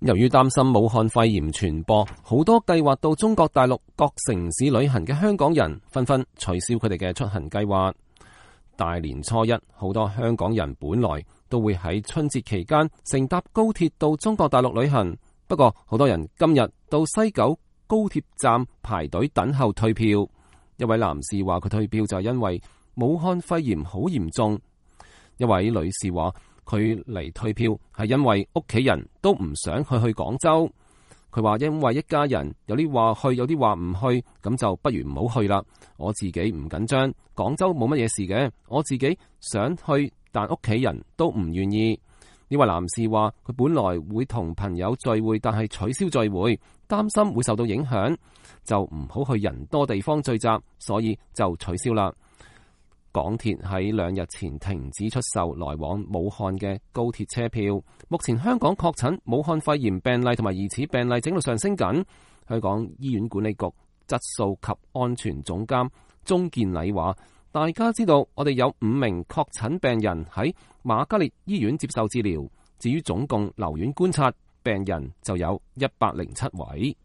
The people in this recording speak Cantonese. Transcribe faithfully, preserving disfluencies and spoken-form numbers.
由於擔心武漢肺炎傳播，好多計劃到中國大陸各城市旅行嘅香港人紛紛取消佢哋嘅出行計劃。大年初一，好多香港人本來都會喺春節期間乘搭高鐵到中國大陸旅行，不過好多人今日到西九高鐵站排隊等候退票。一位男士話佢退票就係因為武漢肺炎好嚴重。一位女士話佢嚟退票係因為屋企人都唔想去去廣州。佢話因為一家人有啲話去，有啲話唔去，咁就不如唔好去啦。我自己唔緊張，廣州冇乜嘢事嘅。我自己想去，但屋企人都唔願意。呢位男士話佢本來會同朋友聚會，但係取消聚會，擔心會受到影響，就唔好去人多地方聚集，所以就取消啦。港鐵喺兩日前停止出售來往武漢嘅高鐵車票。目前香港確診武漢肺炎病例同埋疑似病例整路上升緊。香港醫院管理局質素及安全總監鍾健禮話：大家知道我哋有五名確診病人喺瑪嘉烈醫院接受治療，至於總共留院觀察病人就有一百零七位。